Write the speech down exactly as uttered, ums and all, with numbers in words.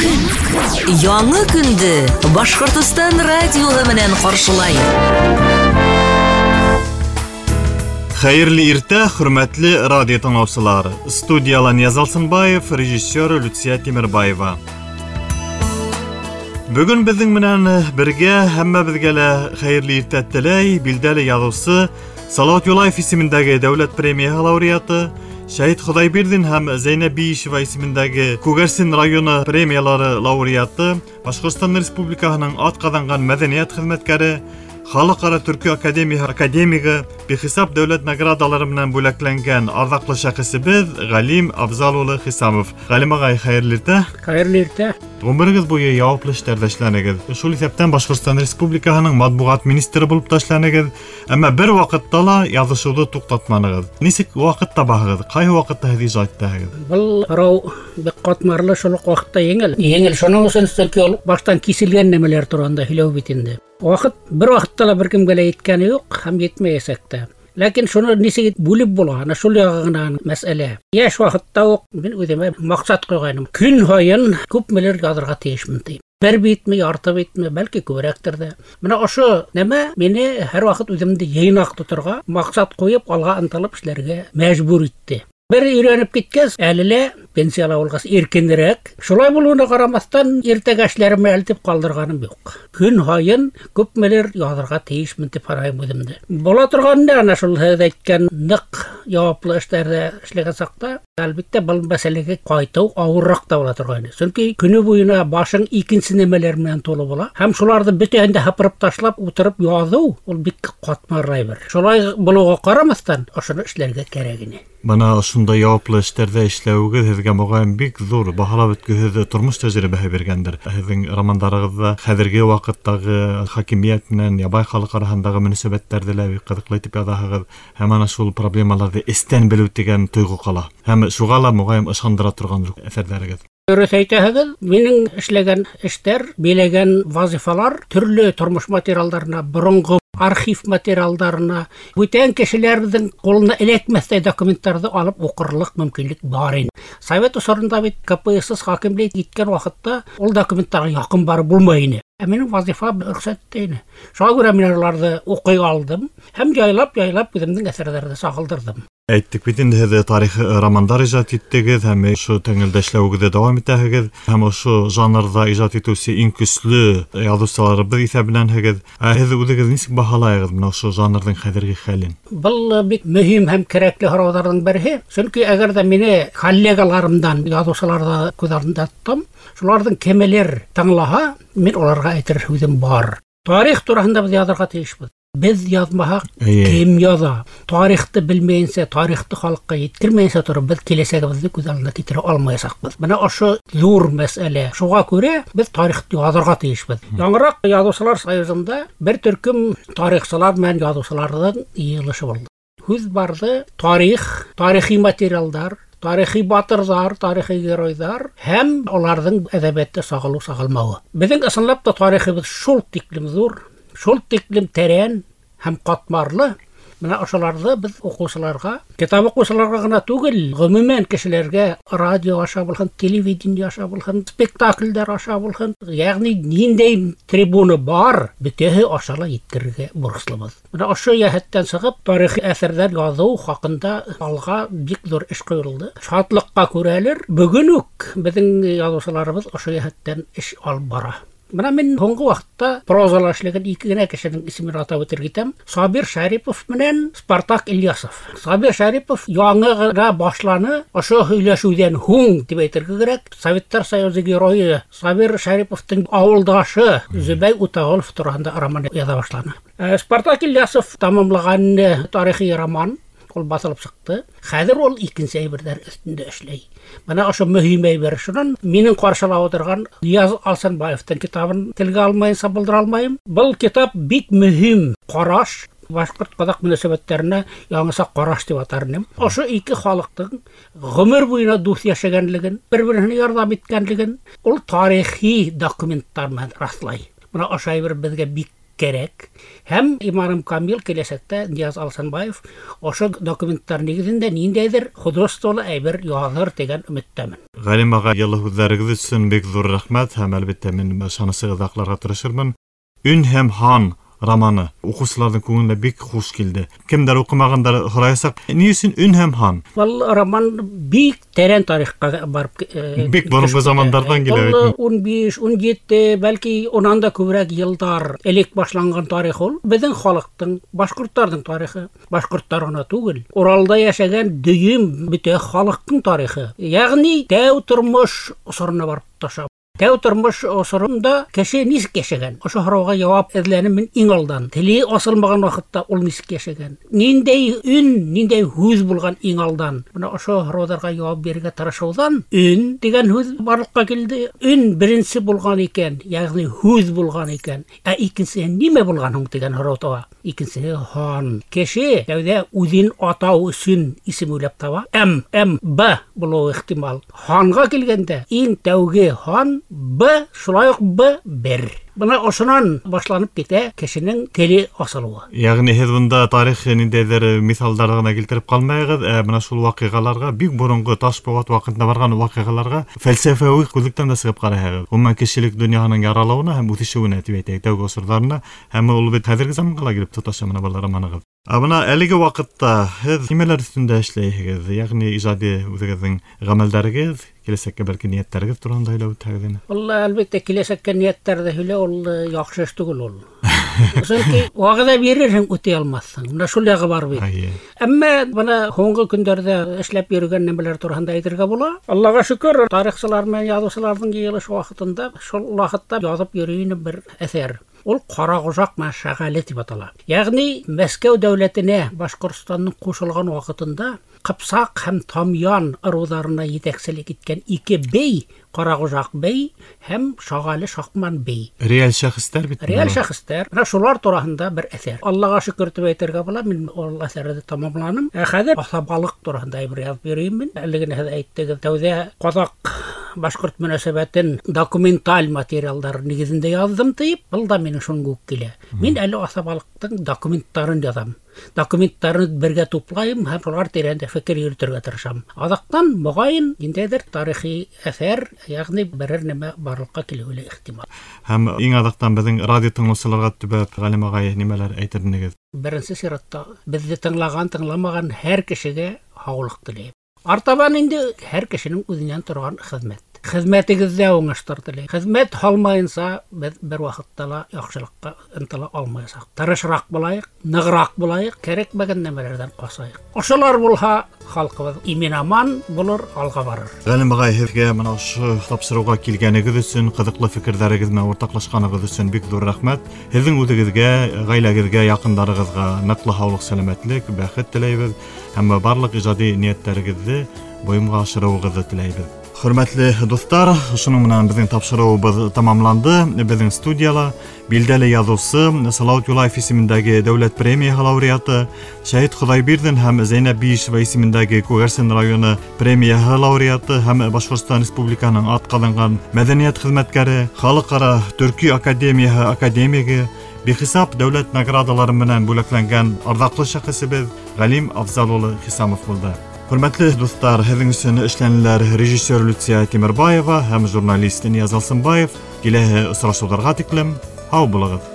Көн. Яңы көндө Башҡортостан радиоһы менән ҡаршылай. Хәйерле иртә, хөрмәтле радио тыңлаусылар. Студияла Нияз Алсынбаев, режиссер Люция Тимербаева. Бөгөн беҙҙең менән бергә һәммәбеҙгә лә хәйерле иртә теләй билдәле яҙыусы Салауат Юлаев исемендәге дәүләт премияһы лауреаты, Шәһит Хоҙайбирҙин һәм Зәйнәб Биишева исемендәге Күгәрсен районы премиялары лауреаты, Башҡортостан Республикаһының атҡаҙанған мәҙәниәт хеҙмәткәре, Халыҡ-ара Төрки академияһы академигы, бихисап дәүләт наградалары менән бүләкләнгән арҙаҡлы шәхесебеҙ Ғалим Абзал улы Хисамов. Ғалим ағай, хәйерле иртә. Хәйерле иртә. Ғүмерегеҙ буйы яуаплы эштәрҙә эшләнегеҙ. Шул иҫәптән Башҡортостан Республикаһының матбуғат министры булып та эшләнегеҙ. Әммә бер ваҡытта ла яҙышыуҙы туҡтатманығыҙ. Нисек ваҡыт табаһығыҙ? Ҡайһы ваҡытта һеҙ ижад итәһегеҙ? Был һорау бик ҡатмарлы, шул уҡ ваҡытта еңел. Еңел шуның өсөн, сөнки ул баштан киселгән нәмәләр тураһында һөйләү бит инде. Ваҡыт бер ваҡытта ла бер кемгә лә еткәне юҡ һәм етмәйәсәк тә. Ләкин шуны нисек бүлеп була, ана шул яғы ғына мәсьәлә. Йәш ваҡытта уҡ мин үҙемә маҡсат ҡуйғайным. Көн һайын күпмелер яҙырға тейешмен тип. Бер битме, ярты битме, бәлки күберәктер ҙә. Бына ошо нәмә мине һәр ваҡыт үҙемде йыйнаҡ тоторға, маҡсат ҡуйып, алға ынтылып эшләргә мәжбүр итте. Бер өйрәнеп киткәс, әле лә пенсияла булғас иркенерәк. Шулай булыуына ҡарамаҫтан, иртәгә эшләремде әлтеп ҡалдырғаным юҡ. Көн һайын күпмелер яҙырға тейешмен тип һанайым үҙемде. Була торған да ана шул һеҙ әйткән ныҡ яуаплы эштәрҙә эшләгән саҡта, әлбиттә, был мәсьәләгә ҡайтыу ауырыраҡ та була торғайны. Сөнки көнө буйына башың икенсе нәмәләр менән тулы була. Һәм шуларҙы бөтәһен дә һыпырып ташлап ултырып яҙыу ул бик ҡатмарлы әйбер. Шулай булыуға ҡарамаҫтан, ошоно эшләргә кәрәк ине. Бына ошондай яуаплы эштәрҙә эшләүегеҙ һеҙгә моғайын бик ҙур баһалап бөткөһөҙ тормош тәжрибәһе биргәндер. Һеҙҙең романдарығыҙҙа хәҙерге ваҡыттағы хакимиәт менән ябай халыҡ араһындағы мөнәсәбәттәрҙе лә бик ҡыҙыҡлы итеп яҙаһығыҙ. Һәм ана шул проблемаларҙы эстән белеү тигән тойғо ҡала. Һәм шуға ла моғайын ышандыра торған әҫәрҙәрегеҙ. Дөрөҫ әйтәһегеҙ, минең эшләгән эштәр, биләгән вазифалар төрлө тормош материалдарына, боронғо архив материалдарына, бүтән кешеләрҙең ҡулына эләкмәҫтәй документтарҙы алып уҡырлыҡ мөмкинлек бар ине. Совет осоронда бит К П С С хакимлек иткән ваҡытта ул документтарға яҡын барып булмай ине. Ә минең вазифа рөхсәт итә ине. Шуға күрә мин уларҙы уҡый алдым һәм яйлап-яйлап үҙемдең әҫәрҙәрҙе сағылдырҙым. Әйттек бит инде, һеҙ тарихи романдар ижад иттегеҙ һәм ошо тәңгәлдә эшләүегеҙҙе дауам итәһегеҙ һәм ошо жанрҙа ижад итеүсе иң көслө яҙыусыларыбыҙ иҫәбенәнһегеҙ. Ә һеҙ үҙегеҙ нисек баһалайһығыҙ бына ошо жанрҙың хәҙерге хәлен? Был бик мөһим һәм кәрәкле һорауҙарҙың береһе. Сөнки әгәр ҙә мине коллегаларымдан, яҙыусыларҙа күҙ алдында тотам, шуларҙың кемелер тыңлаһа, мин уларға әйтер һүҙем бар. Тарих тураһында беҙ яҙырға тейешбеҙ. Беҙ яҙмаһаҡ, Эйе. кем яҙа? Тарихты белмәйенсә, тарихты халыҡҡа еткермәйенсә тороп, беҙ киләсәгебеҙҙе күҙ алдына килтерә алмаясаҡбыҙ. Бына ошо ҙур мәсьәлә. Шуға күрә беҙ тарихты яҙырға тейешбеҙ. Мм. Яңыраҡ Яҙыусылар союзында бер төркөм тарихсылар менән яҙыусыларҙың йыйылышы булды. Һүҙ барҙы тарих, тарихи материалдар, тарихи батырҙар, тарихи геройҙар һәм уларҙың әҙәбиәттә сағылыу-сағылмауы. Беҙҙең ысынлап та тарихыбыҙ шул тиклем ҙур, шул тиклем тәрән һәм ҡатмарлы. Бына ошоларҙы беҙ уҡыусыларға, китап уҡыусыларға ғына түгел, ғөмүмән кешеләргә радио аша булһын, телевидение аша булһын, спектаклдәр аша булһын, йәғни ниндәй трибуна бар, бөтәһе аша ла еткерергә бурыслыбыҙ. Бына ошо йәһәттән сығып, тарихи әҫәрҙәр яҙыу хаҡында алға бик ҙур эш ҡуйылды. Шатлыҡҡа күрәлер, бөгөн үк беҙҙең яҙыусыларыбыҙ ошо йәһәттән эш алып бара. Бына мин һуңғы ваҡытта прозала эшләгән ике генә кешенең исемен атап үтергә итәм. Сабир Шәрипов менән Спартак Ильясов. Сабир Шәрипов яңы ғына башланы, ошо һөйләшеүҙән һуң тип әйтергә кәрәк. Советтар Союзы геройы Сабир Шәриповтың ауылдашы Зөбәй Утағолов тураһында роман яҙа башланы. Э, Спартак Ильясов тамамлаған, э, тарихи роман ул баҫылып сыҡты. Хәҙер ул икенсе әйберҙәр өҫтөндә эшләй. Бына ошо мөһим әйбер. Шунан минең ҡаршыла ултырған Нияз Алсынбаевтың китабын телгә алмайынса булдыра алмайым. Был китап бик мөһим ҡараш, башҡорт-ҡаҙаҡ мөнәсәбәттәренә яңыса ҡараш тип атар инем. Ошо ике халыҡтың ғүмер буйына дуҫ йәшәгәнлеген, бер-береһенә ярҙам иткәнлеген ул тарихи документтар менән раҫлай. Бына ошо әйбер беҙгә бик кәрәк. Һәм иманым камил, киләсәктә Нияз Алсанбаев ошо документтар нигеҙендә ниндәйҙер художестволы әйбер яҙыр тигән өмөттәмен. Ғалим аға, йылы һүҙҙәрегеҙ өсөн бик ҙур рәхмәт, һәм әлбиттә мин ышанысығыҙҙы аҡларға тырышырмын. Өн һәм һан романы уҡыусыларҙың күңеленә бик хуш килде. Кемдәр уҡымағандар һораясаҡ, ни өсөн Өн һәм һан? Был роман бик тәрән тарихҡа барып, бик боронғо замандарҙан килә бит. Ул ун биш, ун ете, бәлки унан да күберәк йылдар элек башланған тарих ул. Беҙҙең халыҡтың, башҡорттарҙың тарихы. Башҡорттар ғына түгел, Уралда йәшәгән дөйөм бөтә халыҡтың тарихы. Йәғни тәү тормош осорона барып таша. Тәү тормош осоронда кеше нисек йәшәгән? Ошо һорауға яуап эҙләнем мин иң алдан. Теле асылмаған ваҡытта ул нисек йәшәгән? Ниндәй өн, ниндәй һүҙ булған иң алдан? Бына ошо һорауҙарға яуап бирергә тырышыуҙан өн тигән һүҙ барлыҡҡа килде. Өн беренсе булған икән, йәғни һүҙ булған икән. Ә икенсеһе нимә булған һуң тигән һорау тыуа. Икенсеһе һан. Кеше тәүҙә үҙен атау өсөн исем уйлап таба. М, М, Б булыуы ихтимал. Һанға килгәндә иң тәүге һан Б, шулай уҡ Б, бер. Бына ошонан башланып китә кешенең теле асылыуы. Йәғни һеҙ бында тарих ниндәйҙер миҫалдар ғына килтереп ҡалмайығыҙ, ә бына шул ваҡиғаларға, бик боронғо таш быуат ваҡытында барған ваҡиғаларға фәлсәфәүи күҙлектән дә сығып ҡарайһығыҙ. Ғөмүмән, кешелек донъяһының яралыуына һәм үҫешеүенә тип әйтәйек, тәүге осорҙарына, һәм ул бит хәҙерге заманға ла килеп тоташа бына был романығыҙ. Ә бына әлеге ваҡытта һеҙ нимәләр өҫтөндә эшләйһегеҙ? Йәғни ижади үҙегеҙҙең ғәмәлдәрегеҙ, киләсәккә бәлки ниәттәрегеҙ тураһында һөйләп үтһәгеҙ ине. Ул әлбиттә киләсәккә ниәттәрҙе һөйләү ул яҡшы эш түгел ул. Сөнки вәғәҙә бирерһең, үтәй алмаҫһың. Бына шул яғы бар бит. Әммә бына һуңғы көндәрҙә эшләп йөрөгән нәмәләр тураһында әйтергә була. Аллаға шөкөр, тарихсылар менән яҙыусыларҙың йыйылышы ваҡытында шул ваҡытта яҙып йөрөй инем бер әҫәр. Ул Ҡарағожаҡ менән Шағәле тип атала. Йәғни Мәскәү дәүләтенә Башҡортостандың ҡушылған ваҡытында Ҡыпсаҡ һәм Тамъян ырыуҙарына етәкселек иткән ике бей, Ҡарағожаҡ бей һәм Шағәле Шаҡман бей. Реаль шәхестәр бит. Реаль шәхестәр. Менә шулар тураһында бер әҫәр. Аллаға шөкөр тип әйтергә була, мин ул әҫәрҙе тамамланым. Ә хәҙер аҫабалыҡ тураһында бер яҙып йөрөйөм мин. Әле генә һеҙ әйттегеҙ, тәүҙә ҡаҙаҡ башҡорт мөнәсәбәтен документаль материалдар нигеҙендә яҙҙым тип, был да минең шуңа уҡ килә. Мин әле аҫабалыҡтың документтарын яҙам. Документтарын бергә туплайым һәм шулар тирәһендә фекер йөрөтөргә тырышам. Аҙаҡтан моғайын ниндәйҙер тарихи әҫәр, йәғни берәр нәмә барлыҡҡа килеүе лә ихтимал. Һәм иң аҙаҡтан беҙҙең радио тыңлаусыларға төбәп Ғалим ағай нимәләр әйтер инегеҙ? Беренсе сиратта беҙҙе тыңлаған, тыңламаған һәр кешегә һаулыҡ теләйем. Артабан инде һәр кешенең үҙенән торған хеҙмәт. Хеҙмәтегеҙҙә уңыштар теләйем. Хеҙмәт һалмайынса беҙ бер ваҡытта ла яҡшылыҡҡа ынтыла алмаясаҡ. Тырышыраҡ булайыҡ, нығыраҡ булайыҡ, кәрәкмәгән нәмәләрҙән ҡасайыҡ. Ошолар булһа, халҡыбыҙ имен-аман булыр, алға барыр. Ғалим ағай, һеҙгә бына ошо тапшырыуға килгәнегеҙ өсөн, ҡыҙыҡлы фекерҙәрегеҙ менән уртаҡлашҡанығыҙ өсөн бик ҙур рәхмәт. Һеҙҙең үҙегеҙгә, ғаиләгеҙгә, яҡындарығыҙға ныҡлы һаулыҡ, сәләмәтлек, бәхет теләйбеҙ һәм барлыҡ ижади ниәттәрегеҙҙе бойомға ашырыуығыҙҙы теләйбеҙ. Хөрмәтле дуҫтар, шуның менән беҙҙең тапшырыуыбыҙ тамамланды. Беҙҙең студияла билдәле яҙыусы, Салауат Юлаев исемендәге дәүләт премияһы лауреаты, Шәһит Хоҙайбирҙин һәм Зәйнәб Биишева исемендәге Күгәрсен районы премияһы лауреаты һәм Башҡортостан Республикаһының атҡаҙанған мәҙәниәт хеҙмәткәре, Халыҡ-ара Төрки академияһы академигы, бихисап дәүләт наградалары менән бүләкләнгән арҙаҡлы шәхесебеҙ Ғалим Афзал улы Хисамов булды. Хөрмәтле дуҫтар, һеҙҙең өсөн эшләнеләр режиссер Люция Тимербаева һәм журналист Нияз Алсынбаев. Киләһе осрашыуҙарға тиклем һау булығыҙ.